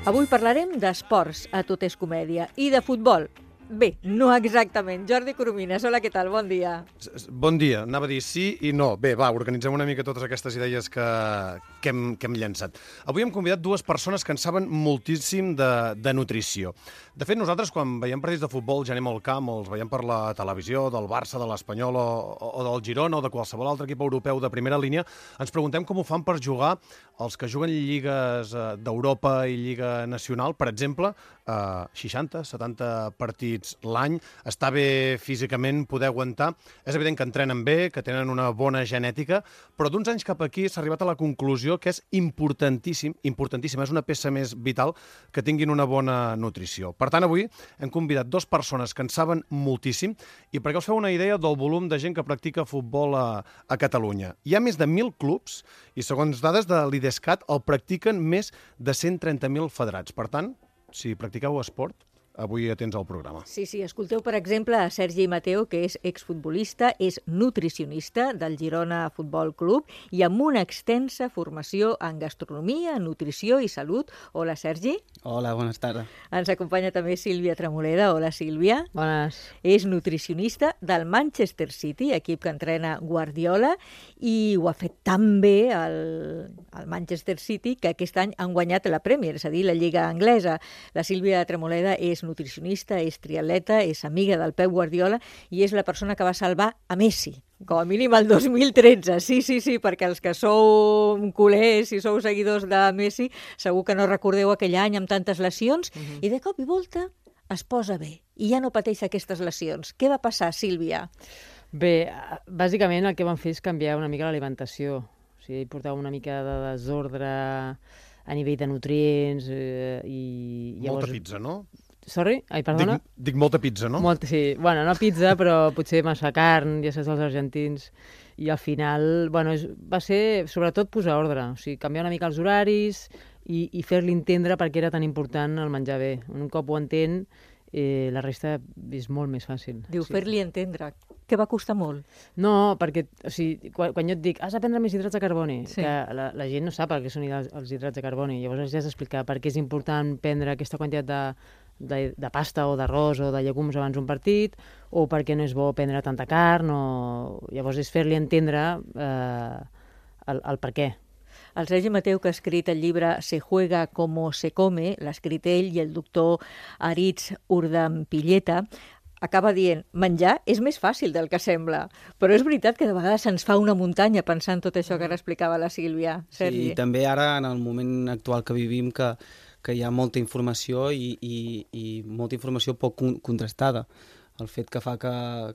Avui parlarem d'esports, a tot és comèdia, i de futbol. Bé, no exactament. Jordi Coromines, hola, què tal? Bon dia. Bon dia. Anava a dir sí i no. Bé, va, organitzem una mica totes aquestes idees que hem llançat. Avui hem convidat dues persones que en saben moltíssim de nutrició. De fet, nosaltres, quan veiem partits de futbol, ja anem al camp, o els veiem per la televisió, del Barça, de l'Espanyol o del Girona o de qualsevol altre equip europeu de primera línia, ens preguntem com ho fan per jugar els que juguen lligues d'Europa i Lliga Nacional, per exemple, 60, 70 partits l'any, està bé físicament poder aguantar. És evident que entrenen bé, que tenen una bona genètica, però d'uns anys cap aquí s'ha arribat a la conclusió que és importantíssim, és una peça més vital que tinguin una bona nutrició. Per tant, avui hem convidat dues persones que en saben moltíssim i perquè us feu una idea del volum de gent que practica futbol a Catalunya. Hi ha més de 1.000 clubs i, segons dades de l'IDESCAT, el practiquen més de 130.000 federats. Per tant, si practiqueu esport, avui atents al programa. Sí, escolteu, per exemple, a Sergi Mateu, que és exfutbolista, és nutricionista del Girona Futbol Club i amb una extensa formació en gastronomia, nutrició i salut. Hola, Sergi. Hola, buenas tardes. Ens acompanya també Sílvia Tremoleda. Hola, Sílvia. Bones. És nutricionista del Manchester City, equip que entrena Guardiola, i ho ha fet tan bé el Manchester City que aquest any han guanyat la Premier, és a dir, la Lliga Anglesa. La Sílvia Tremoleda és nutricionista, és triatleta, és amiga del Pep Guardiola i és la persona que va salvar a Messi, com a mínim el 2013. Sí, perquè els que sou culers i sou seguidors de Messi segur que no recordeu aquell any amb tantes lesions i de cop i volta es posa bé i ja no pateix aquestes lesions. Què va passar, Sílvia? Bé, bàsicament el que vam fer és canviar una mica l'alimentació. O sigui, portava una mica de desordre a nivell de nutrients i llavors... Molta pizza, no? Sorry? Ai, perdona? Dic molta pizza, no? Molta, sí. Bueno, no pizza, però potser massa carn, ja saps, els argentins. I al final, bueno, va ser sobretot posar ordre. O sigui, canviar una mica els horaris i fer-li entendre per què era tan important el menjar bé. Un cop ho entén, la resta és molt més fàcil. Diu, fer-li entendre. Que va costar molt? No, perquè o sigui, quan jo et dic has de prendre més hidrats de carboni, que la gent no sap per què són els hidrats de carboni. Llavors has d'explicar per què és important prendre aquesta quantitat de pasta o d'arròs o de llegums abans d'un partit, o perquè no és bo prendre tanta carn, llavors és fer-li entendre el per què. El Sergi Mateu, que ha escrit el llibre Se juega como se come, l'ha escrit ell i el doctor Aritz Urdampilleta, acaba dient, menjar és més fàcil del que sembla, però és veritat que de vegades se'ns fa una muntanya pensant tot això que ara explicava la Sílvia. Sergi. Sí, també ara, en el moment actual que vivim, que hi ha molta informació i molta informació poc contrastada. El fet que fa que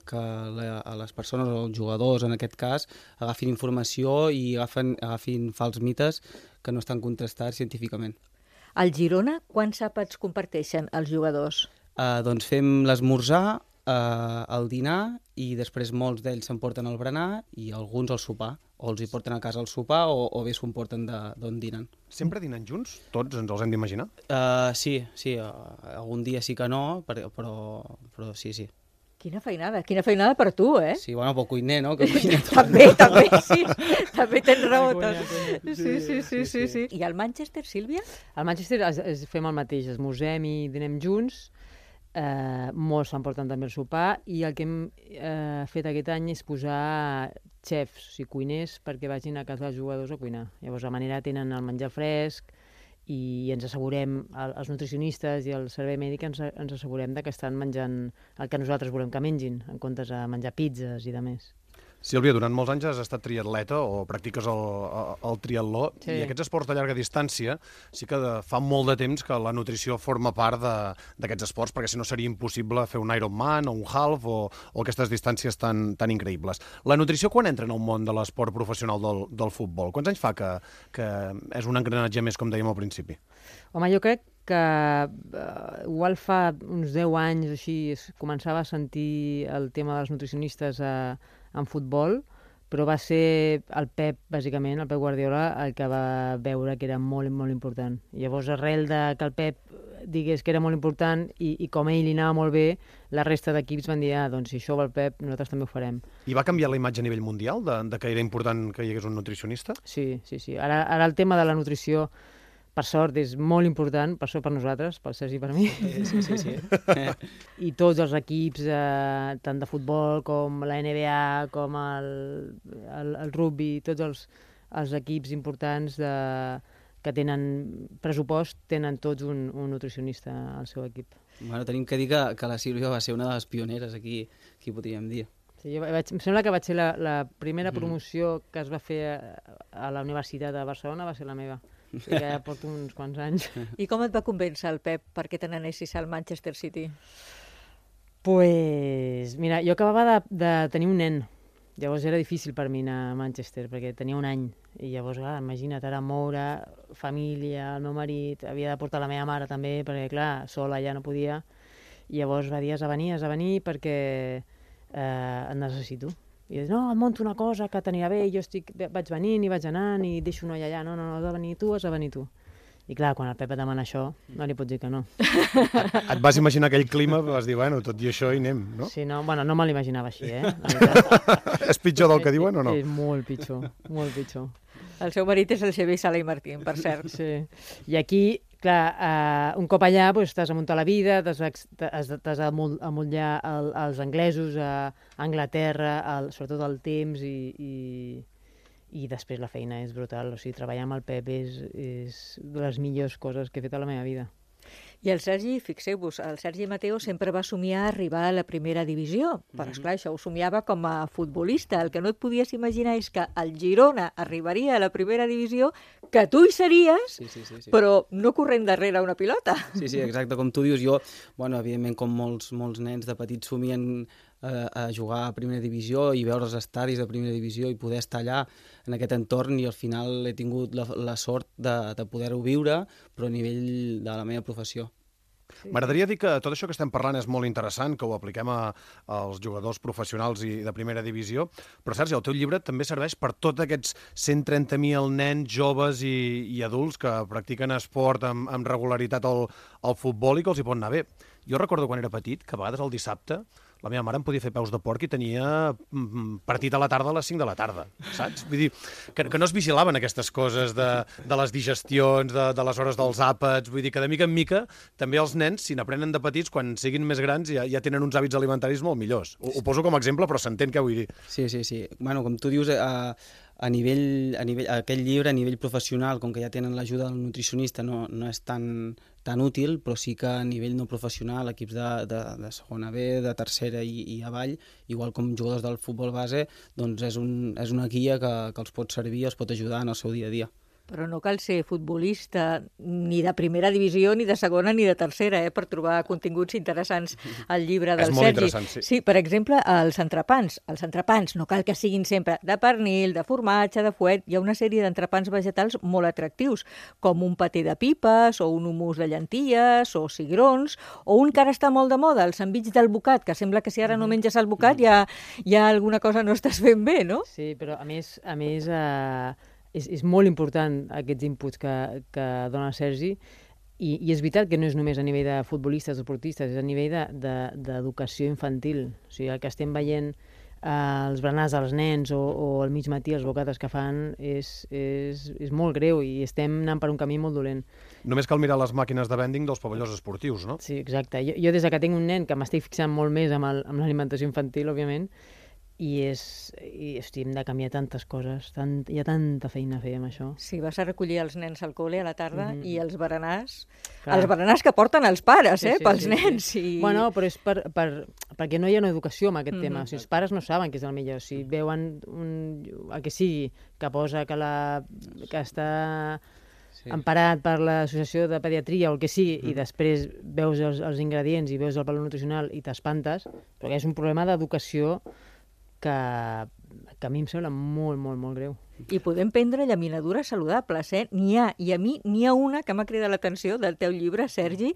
les persones, o els jugadors en aquest cas, agafin informació i agafin fals mites que no estan contrastats científicament. Al Girona, quants àpats comparteixen els jugadors? Doncs fem l'esmorzar, el dinar i després molts d'ells s'emporten el berenar i alguns el sopar. O els hi porten a casa el sopar o bé s'ho emporten d'on dinen. Sempre dinen junts? Tots ens els hem d'imaginar? Sí, algun dia sí que no, però sí. Quina feinada per tu, eh? Sí, bueno, pel cuiner, no? Que cuina tot. També, sí, també tens raó. Sí. I al Manchester, Sílvia? Al Manchester fem el mateix, esmorzem i dinem junts, molts s'emporten també el sopar i el que hem fet aquest any és posar xefs, o sigui, cuiners, perquè vagin a casa dels jugadors a cuinar. Llavors, a manera tenen el menjar fresc i ens assegurem, els nutricionistes i el servei mèdic ens assegurem que estan menjant el que nosaltres volem que mengin, en comptes de menjar pizzas i de més. Sílvia, durant molts anys has estat triatleta o practiques el triatló i aquests esports de llarga distància sí que fa molt de temps que la nutrició forma part d'aquests esports, perquè si no seria impossible fer un Ironman o un half o aquestes distàncies tan increïbles. La nutrició quan entra en el món de l'esport professional del futbol? Quants anys fa que és un engranatge més, com dèiem al principi? Home, jo crec que igual fa uns 10 anys o així començava a sentir el tema dels nutricionistes en futbol, però va ser el Pep, bàsicament, el Pep Guardiola, el que va veure que era molt, molt important. I llavors, arrel de que el Pep digués que era molt important i com a ell li anava molt bé, la resta d'equips van dir, doncs si això va el Pep, nosaltres també ho farem. I va canviar la imatge a nivell mundial, de que era important que hi hagués un nutricionista? Sí. Ara el tema de la nutrició per sort, és molt important, per sort per nosaltres, pel Sergi i per mi. Sí. I tots els equips, tant de futbol com la NBA, com el rugby, tots els equips importants que tenen pressupost, tenen tots un nutricionista al seu equip. Bueno, tenim que dir que la Sílvia va ser una de les pioneres aquí podríem dir. Sí, em sembla que vaig ser la primera promoció que es va fer a la Universitat de Barcelona, va ser la meva. O sigui que ja porto uns quants anys. I com et va convèncer el Pep perquè te n'anessis al Manchester City? Pues, mira, jo acabava de tenir un nen. Llavors era difícil per mi anar a Manchester, perquè tenia un any. I llavors, clar, imagina't, ara moure, família, el meu marit, havia de portar la meva mare també, perquè, clar, sola ja no podia. I llavors va dir, has de venir perquè et necessito. I dius, no, et monto una cosa que t'anirà bé, jo vaig venint i vaig anant i deixo una allà. No, has de venir tu. I clar, quan el Pep et demana això, no li pots dir que no. Et vas imaginar aquell clima, vas dir, bueno, tot i això hi anem, no? Sí, no, bueno, no me l'imaginava així, És pitjor del que diuen o no? És molt pitjor, molt pitjor. El seu marit és el Xavier Sala i Martín, per cert. Sí. I aquí, clar, un cop allà t'has de muntar la vida, t'has d'amollar els anglesos, a Anglaterra, sobretot el temps i després la feina és brutal. O sigui, treballar amb el Pep és de les millors coses que he fet a la meva vida. I el Sergi, fixeu-vos, el Sergi Mateo sempre va somiar arribar a la primera divisió, però esclar, això ho somiava com a futbolista. El que no et podies imaginar és que el Girona arribaria a la primera divisió, que tu hi series, sí. però no corrent darrere una pilota. Sí, exacte, com tu dius, jo, bueno, evidentment, com molts nens de petits somien a jugar a primera divisió i veure els estadis de primera divisió i poder estar allà en aquest entorn, i al final he tingut la sort de poder-ho viure, però a nivell de la meva professió. M'agradaria dir que tot això que estem parlant és molt interessant, que ho apliquem als jugadors professionals i de primera divisió, però Sergi, el teu llibre també serveix per tots aquests 130.000 nens, joves i adults que practiquen esport amb regularitat al futbol i que els hi pot anar bé. Jo recordo quan era petit que a vegades el dissabte la meva mare em podia fer peus de porc i tenia partit a la tarda a les 5 de la tarda, saps? Vull dir, que no es vigilaven aquestes coses de les digestions, de les hores dels àpats, vull dir que de mica en mica també els nens, si n'aprenen de petits, quan siguin més grans ja tenen uns hàbits alimentaris molt millors. Ho poso com a exemple, però s'entén què vull dir. Sí. Bueno, com tu dius, a nivell aquest llibre, a nivell professional, com que ja tenen l'ajuda del nutricionista, no és tan útil, però sí que a nivell no professional, equips de segona B, de tercera i avall, igual com jugadors del futbol base, doncs és una guia que els pot servir i els pot ajudar en el seu dia a dia. Però no cal ser futbolista ni de primera divisió, ni de segona, ni de tercera, per trobar continguts interessants al llibre del Sergi. És molt interessant, sí. Sí, per exemple, els entrepans. Els entrepans no cal que siguin sempre de pernil, de formatge, de fuet. Hi ha una sèrie d'entrepans vegetals molt atractius, com un paté de pipes, o un hummus de llenties, o cigrons, o un que ara està molt de moda, el sandvitx del bocat, que sembla que si ara no menges el bocat ja alguna cosa no estàs fent bé, no? Sí, però a més és molt important aquests inputs que dona Sergi i és veritat que no és només a nivell de futbolistes o esportistes, és a nivell d'educació infantil. O sigui, el que estem veient els berenars dels nens o al mig matí els bocates que fan és molt greu i estem anant per un camí molt dolent. Només cal mirar les màquines de vending dels pavellons esportius, no? Sí, exacte. Jo des que tinc un nen que m'estic fixant molt més amb l'alimentació infantil, òbviament, i hem de canviar tantes coses, hi ha tanta feina a fer amb això. Sí, vas a recollir els nens al col·le a la tarda i els berenars que porten els pares, pels nens. Sí. Bueno, però és perquè no hi ha una educació en aquest tema. O sigui, els pares no saben què és el millor. Si veuen el que sigui, que posa que està emparat per l'Associació de Pediatria o el que sigui, i després veus els ingredients i veus el valor nutricional i t'espantes, perquè és un problema d'educació que a mi em sembla molt, molt, molt greu. I podem prendre llaminadures saludables, N'hi ha, i a mi n'hi ha una que m'ha cridat l'atenció del teu llibre, Sergi,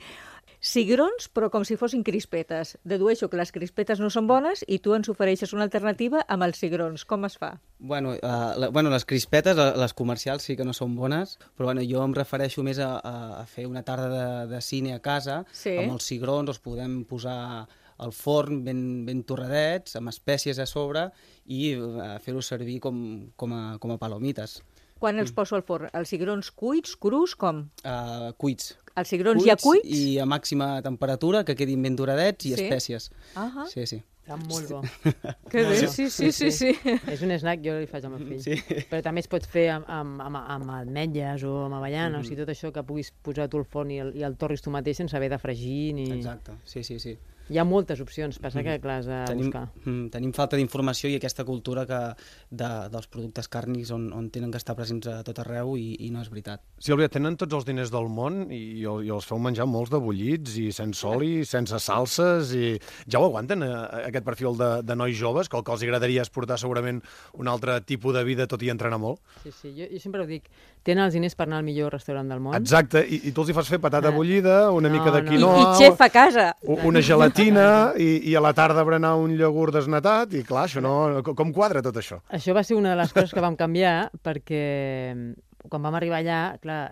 cigrons, però com si fossin crispetes. Dedueixo que les crispetes no són bones i tu ens ofereixes una alternativa amb els cigrons. Com es fa? Bueno, les crispetes, les comercials sí que no són bones, però jo em refereixo més a fer una tarda de cine a casa, amb els cigrons, els podem posar al forn ben torradets, amb espècies a sobre, i fer-ho servir com a palomites. Quan els poso al forn? Els cigrons cuits, crus, com? Cuits. Els cigrons ja cuits? I a màxima temperatura, que quedin ben doradets i Sí? espècies. Ah, Sí, sí. Està molt bo. que bé, sí. És un snack, jo li faig al meu fill. Sí. Però també es pot fer amb ametlles o amb avellanes, o sigui, tot això que puguis posar tu al forn i el torris tu mateix sense haver de fregir ni... Exacte, sí. Hi ha moltes opcions, passa que clar, has de buscar. Tenim falta d'informació i aquesta cultura dels productes càrnics on tenen que estar presents a tot arreu i no és veritat. Sílvia, tenen tots els diners del món i els feu menjar molts de bullits i sense oli, sense salses i ja ho aguanten, aquest perfil de nois joves, que el que els agradaria és portar segurament un altre tipus de vida tot i entrenar molt? Sí, jo sempre ho dic, tenen els diners per anar al millor restaurant del món. Exacte, i tu els hi fas fer patata bullida, una mica de I quinoa, xef a casa. una gelatina i a la tarda berenar un iogurt desnatat i clar, això no... Com quadra tot això? Això va ser una de les coses que vam canviar perquè quan vam arribar allà, clar,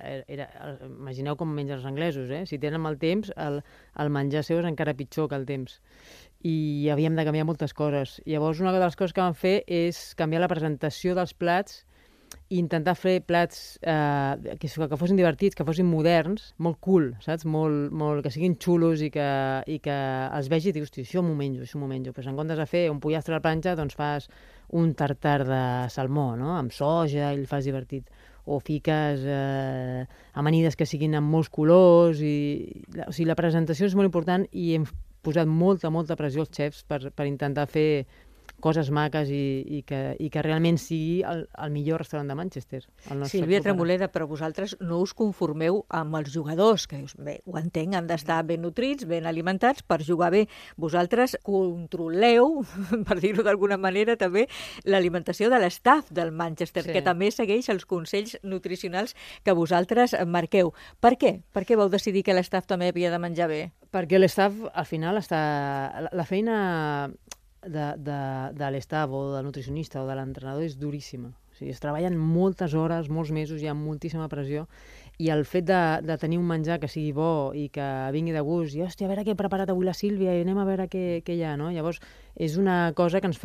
imagineu com mengen els anglesos, Si tenen mal temps, el menjar seu és encara pitjor que el temps. I havíem de canviar moltes coses. Llavors, una de les coses que vam fer és canviar la presentació dels plats i intentar fer plats que fossin divertits, que fossin moderns, molt cool, saps? Molt, que siguin xulos i que els vegi i dius, hosti, això m'ho menjo. Pues en comptes de fer un pollastre a la planxa, doncs fas un tartar de salmó, no? Amb soja i el fas divertit. O fiques amanides que siguin amb molts colors. O sigui, la presentació és molt important i hem posat molta pressió als xefs per intentar fer coses maques i que realment sigui el millor restaurant de Manchester. Sílvia Tremoleda, però vosaltres no us conformeu amb els jugadors, que dius, bé, ho entenc, han d'estar ben nutrits, ben alimentats per jugar bé. Vosaltres controleu, per dir-ho d'alguna manera, també l'alimentació de l'estaf del Manchester, que també segueix els consells nutricionals que vosaltres marqueu. Per què? Per què vau decidir que l'estaf també havia de menjar bé? Perquè l'estaf, al final, la feina de l'estaf o del nutricionista o de l'entrenador és duríssima. O sigui, es treballen moltes hores, molts mesos, hi ha moltíssima pressió i el fet de tenir un menjar que sigui bo i que vingui de gust i, hòstia, a veure què ha preparat avui la Sílvia i anem a veure què hi ha, no? Llavors, és una cosa que els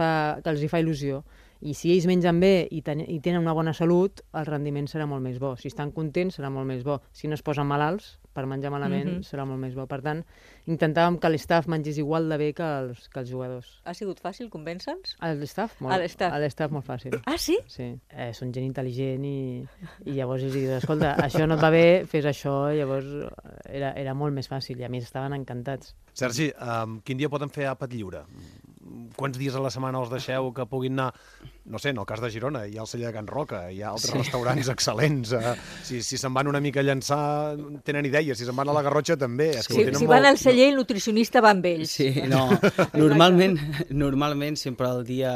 hi fa il·lusió. I si ells mengen bé i tenen una bona salut, el rendiment serà molt més bo. Si estan contents, serà molt més bo. Si no es posen malalts per menjar malament, serà molt més bo. Per tant, intentàvem que l'estaf mengés igual de bé que els jugadors. Ha sigut fàcil convèncer-nos? L'estaf? L'estaf molt fàcil. Ah, sí? Sí. Són gent intel·ligent i llavors els dius, escolta, això no et va bé, fes això, llavors era molt més fàcil i a més estaven encantats. Sergi, quin dia poden fer àpat lliure? Quants dies a la setmana els deixeu que puguin anar? No sé, en el cas de Girona, hi ha el celler de Can Roca, hi ha altres restaurants excel·lents. Si se'n van una mica a llançar, tenen idees. Si se'n van a la Garrotxa, també. Si van al celler, el nutricionista va amb ells. Sí, no. Normalment sempre el dia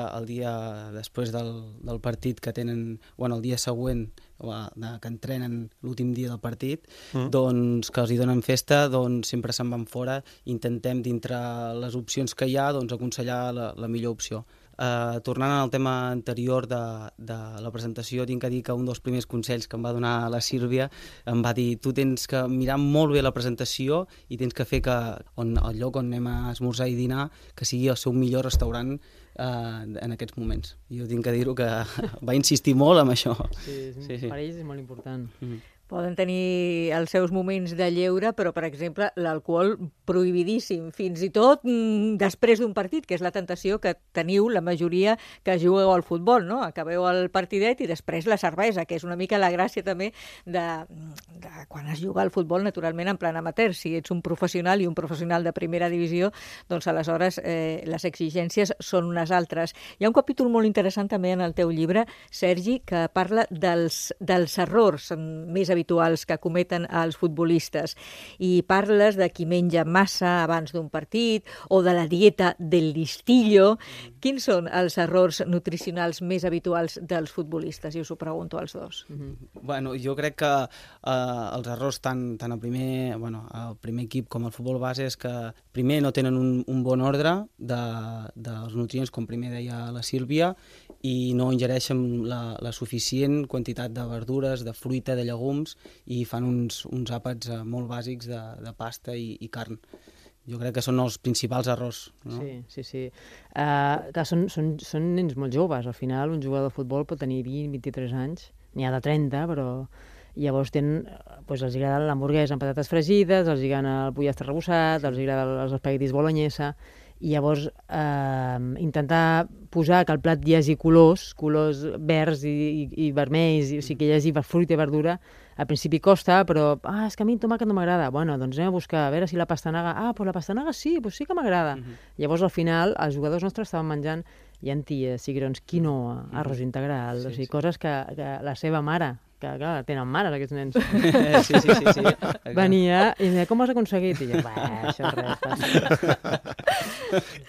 després del partit que tenen, bueno, el dia següent, que entrenen l'últim dia del partit, doncs que els hi donen festa, doncs sempre se'n van fora, intentem dintre les opcions que hi ha doncs aconsellar la millor opció. Tornant al tema anterior de la presentació, tinc que dir que un dels primers consells que em va donar la Sílvia em va dir, tu tens que mirar molt bé la presentació i tens que fer que el lloc on anem a esmorzar i dinar que sigui el seu millor restaurant en aquests moments. Jo tinc que dir-ho que va insistir molt en això. Sí. Per ells és molt important. Poden tenir els seus moments de lleure, però, per exemple, l'alcohol prohibidíssim, fins i tot després d'un partit, que és la tentació que teniu la majoria que jugueu al futbol, no? Acabeu el partidet i després la cervesa, que és una mica la gràcia també de quan es juga al futbol, naturalment, en plan amateur. Si ets un professional i un professional de primera divisió, doncs aleshores les exigències són unes altres. Hi ha un capítol molt interessant també en el teu llibre, Sergi, que parla dels errors més habituals que cometen els futbolistes i parles de qui menja massa abans d'un partit o de la dieta del listillo. Quins són els errors nutricionals més habituals dels futbolistes? I us ho pregunto als dos. Bueno, jo crec que els errors tant al primer equip com al futbol base és que primer no tenen un bon ordre dels nutrients, com primer deia la Sílvia, i no ingereixen la suficient quantitat de verdures, de fruita, de llegums, i fan uns àpats molt bàsics de pasta i carn. Jo crec que són els principals errors. No? Sí. Són nens molt joves. Al final, un jugador de futbol pot tenir 20-23 anys n'hi ha de 30, però llavors doncs els agrada l'hamburguesa amb patates fregides, els agrada el pollastre arrebossat, els agrada els espaguetis bolognesa, i llavors intentar posar que al plat hi hagi colors verds i vermells, o sigui que hi hagi fruita i verdura, al principi costa, però és que a mi el tomàquet no m'agrada. Bueno, doncs anem a buscar, a veure si la pastanaga... Doncs la pastanaga sí, doncs sí que m'agrada. Llavors al final els jugadors nostres estaven menjant llenties, cigrons, quinoa, arròs integral, o sigui, coses que la seva mare, que clar, tenen mares aquests nens. Sí. Venia i em deia, com ho has aconseguit? I jo, això és res.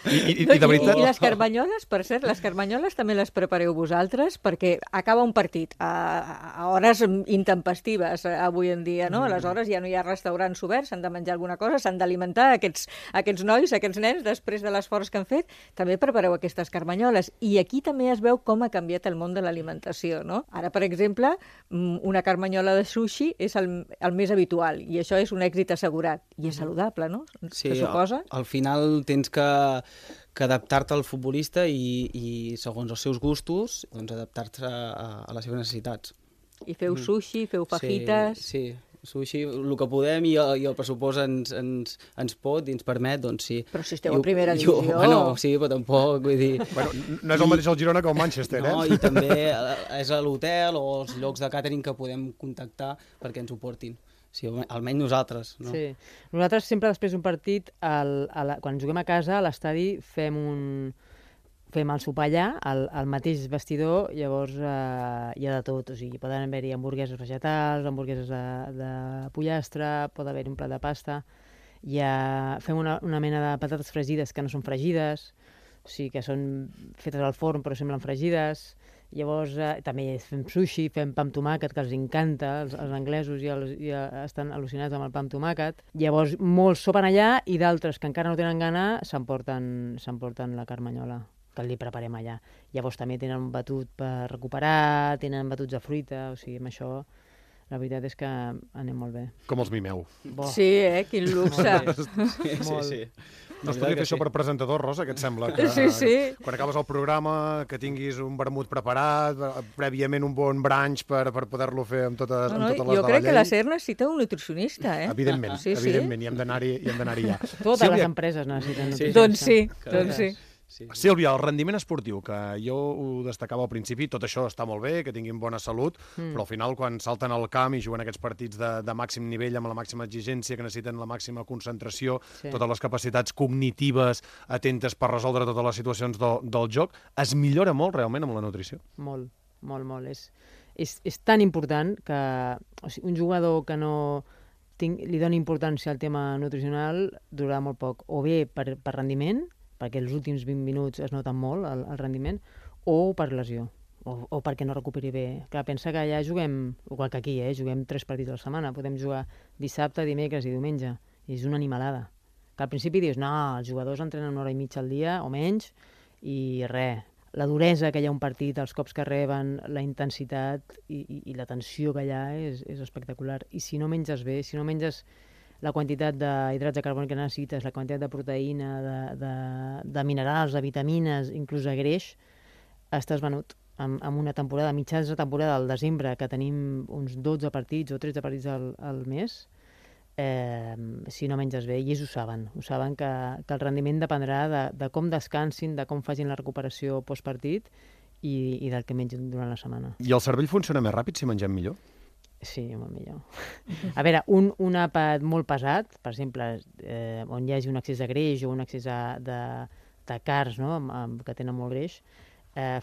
I de veritat... I les carmanyoles, per cert, les carmanyoles també les prepareu vosaltres, perquè acaba un partit a hores intempestives avui en dia, no? Aleshores ja no hi ha restaurants oberts, s'han de menjar alguna cosa, s'han d'alimentar aquests nois, aquests nens, després de l'esforç que han fet, també prepareu aquestes carmanyoles. I aquí també es veu com ha canviat el món de l'alimentació, no? Ara, per exemple, una carmanyola de sushi és el més habitual i això és un èxit assegurat i és saludable, no? Sí, se suposa? Al final tens que adaptar-te al futbolista i segons els seus gustos, doncs adaptar-te a les seves necessitats. I feu sushi, feu fajitas... Sí, sushi, el que podem i el pressupost ens pot i ens permet, doncs sí. Però si esteu en primera divisió... Bueno, sí, però tampoc, vull dir... Bueno, no és el mateix el Girona que el Manchester, no, i també és a l'hotel o els llocs de càtering que podem contactar perquè ens ho portin. Sí, almenys nosaltres, no? Sí. Nosaltres sempre després d'un partit, quan juguem a casa, a l'estadi fem el sopar allà, al mateix vestidor, llavors hi ha de tot, o sigui, poden haver-hi hamburgueses vegetals, hamburgueses de pollastre, pot haver-hi un plat de pasta, fem una mena de patates fregides que no són fregides, o sigui, que són fetes al forn però semblen fregides, llavors també fem sushi, fem pa amb tomàquet, que els encanta, els anglesos ja estan al·lucinats amb el pa amb tomàquet, llavors molts sopen allà i d'altres que encara no tenen gana s'emporten la carmanyola que li preparem allà. Llavors també tenen un batut per recuperar, tenen batuts de fruita, o sigui, amb això la veritat és que anem molt bé. Com els mimeu. Bo. Sí, quin luxe. Sí. No es podria fer això per presentador, Rosa, què et sembla? Que, Sí. Quan acabes el programa, que tinguis un vermut preparat, prèviament un bon brunch per poder-lo fer amb totes les de la jo crec que llei. la SER necessita un nutricionista, Evidentment, Sí. evidentment, hi hem d'anar-hi ja. Totes les empreses necessiten nutricionista. Doncs sí. Sílvia, el rendiment esportiu, que jo ho destacava al principi, tot això està molt bé, que tinguin bona salut, però al final quan salten al camp i juguen aquests partits de màxim nivell, amb la màxima exigència, que necessiten la màxima concentració, totes les capacitats cognitives atentes per resoldre totes les situacions del joc, es millora molt realment amb la nutrició? Molt. És tan important que un jugador que no li doni importància al tema nutricional durarà molt poc, o bé per rendiment, perquè els últims 20 minuts es noten molt el rendiment, o per lesió, o perquè no recuperi bé. Clar, pensa que allà juguem, igual que aquí, juguem 3 partits a la setmana, podem jugar dissabte, dimecres i diumenge, i és una animalada. Que al principi dius, no, els jugadors entrenen 1 hora i mitja al dia, o menys, i res. La duresa que hi ha un partit, els cops que reben, la intensitat i la tensió que hi ha és espectacular. I si no menges bé, si no menges la quantitat d'hidrats de carboni que necessites, la quantitat de proteïna, de minerals, de vitamines, inclús de greix, estàs venut. En una temporada, mitjans de temporada, al desembre, que tenim uns 12 partits o 13 partits al mes, si no menges bé, i ells ho saben que el rendiment dependrà de com descansin, de com facin la recuperació postpartit i del que mengin durant la setmana. I el cervell funciona més ràpid si mengem millor? Sí, molt millor. A veure, un àpat molt pesat, per exemple, on hi hagi un excés de greix o un excés de carbs, no? Que tenen molt greix,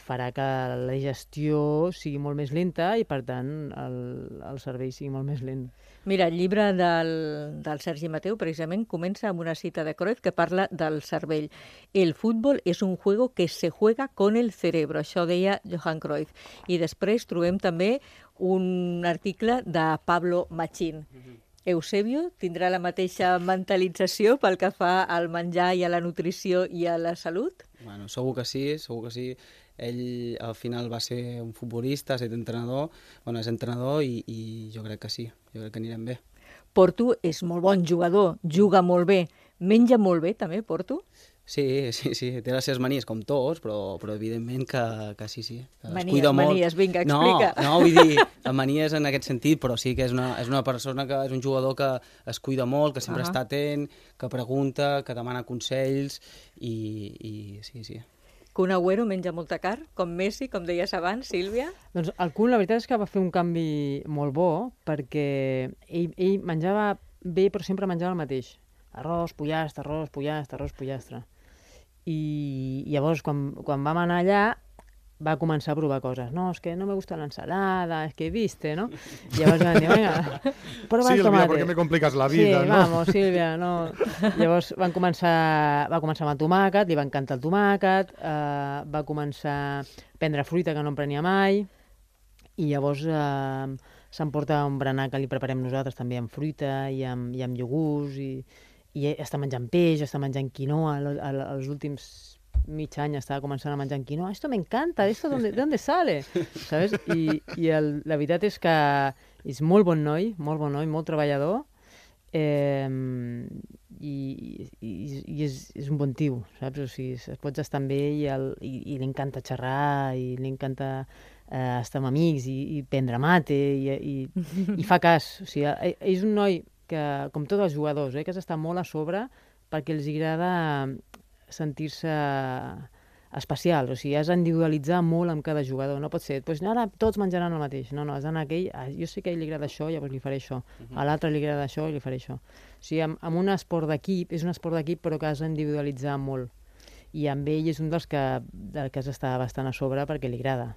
farà que la digestió sigui molt més lenta i, per tant, el cervell sigui molt més lent. Mira, el llibre del Sergi Mateu, precisament, comença amb una cita de Cruyff que parla del cervell. El futbol és un juego que se juega con el cerebro, això deia Johan Cruyff. I després trobem també un article de Pablo Machín. Eusebio tindrà la mateixa mentalització pel que fa al menjar i a la nutrició i a la salut? Bueno, segur que sí. Ell al final va ser un futbolista, ha estat entrenador, és entrenador i jo crec que sí, jo crec que anirem bé. Porto és molt bon jugador, juga molt bé, menja molt bé també, Porto? Sí, té les seves manies com tots, però evidentment que sí, que es Manies, cuida molt. vinga, explica. No, vull dir, manies en aquest sentit, però sí que és una persona que és un jugador que es cuida molt, que sempre està atent, que pregunta, que demana consells i sí. Kun Agüero menja molta carn, com Messi, com deies abans, Sílvia? Doncs el Kun, la veritat és que va fer un canvi molt bo, perquè ell menjava bé, però sempre menjava el mateix. Arròs, pollastre. I llavors, quan vam anar allà, va començar a provar coses. No, és que no me gusta la ensalada, és que viste, ¿no? I llavors van dir, venga, prueba el tomate. Sílvia, ¿por qué me complicas la vida, sí, no? Vamos, Sílvia, no. Llavors va començar amb el tomàquet, li va encantar el tomàquet, va començar a prendre fruita que no en prenia mai, i llavors s'emporta un berenar que li preparem nosaltres també amb fruita i amb iogurts, i està menjant peix, està menjant quinoa, els últims mig any estava començant a menjar quinoa. Esto me encanta, ¿esto de dónde sale? ¿Sabes? La veritat és que és molt bon noi, molt treballador, i és un bon tio, saps? O sigui, es pots estar amb ell i li encanta xerrar, i li encanta estar amb amics i prendre mate, i fa cas. O sigui, és un noi que, com tots els jugadors, que s'està molt a sobre perquè els agrada sentir-se especial. O sigui, has d'individualitzar molt amb cada jugador. No pot ser, doncs ara tots menjaran el mateix. No, has d'anar a aquell, jo sé que a ell li agrada això, llavors li faré això. A l'altre li agrada això i li faré això. O sigui, amb un esport d'equip, és un esport d'equip però que has d'individualitzar molt. I amb ell és un dels que has d'estar bastant a sobre perquè li agrada.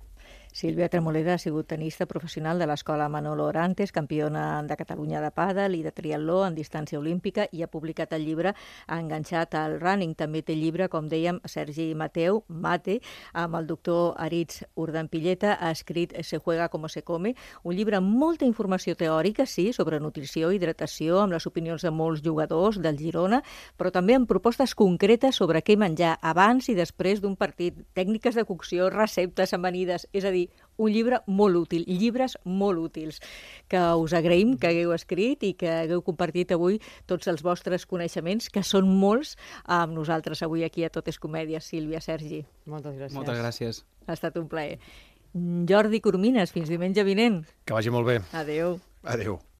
Sílvia Tremoleda ha sigut tenista professional de l'escola Manolo Orantes, campiona de Catalunya de pàdel i de triatló en distància olímpica, i ha publicat el llibre Enganxat al running. També té llibre, com dèiem, Sergi Mateu, Mate, amb el doctor Aritz Urdampilleta, ha escrit Se juega como se come, un llibre amb molta informació teòrica, sí, sobre nutrició i hidratació, amb les opinions de molts jugadors del Girona, però també amb propostes concretes sobre què menjar abans i després d'un partit, tècniques de cocció, receptes amanides, és a dir, un llibre molt útil, llibres molt útils, que us agraïm que hagueu escrit i que hagueu compartit avui tots els vostres coneixements, que són molts, amb nosaltres avui aquí a Tot és Comèdia. Sílvia, Sergi. Moltes gràcies. Moltes gràcies. Ha estat un plaer. Jordi Coromines, fins diumenge vinent. Que vagi molt bé. Adéu. Adéu.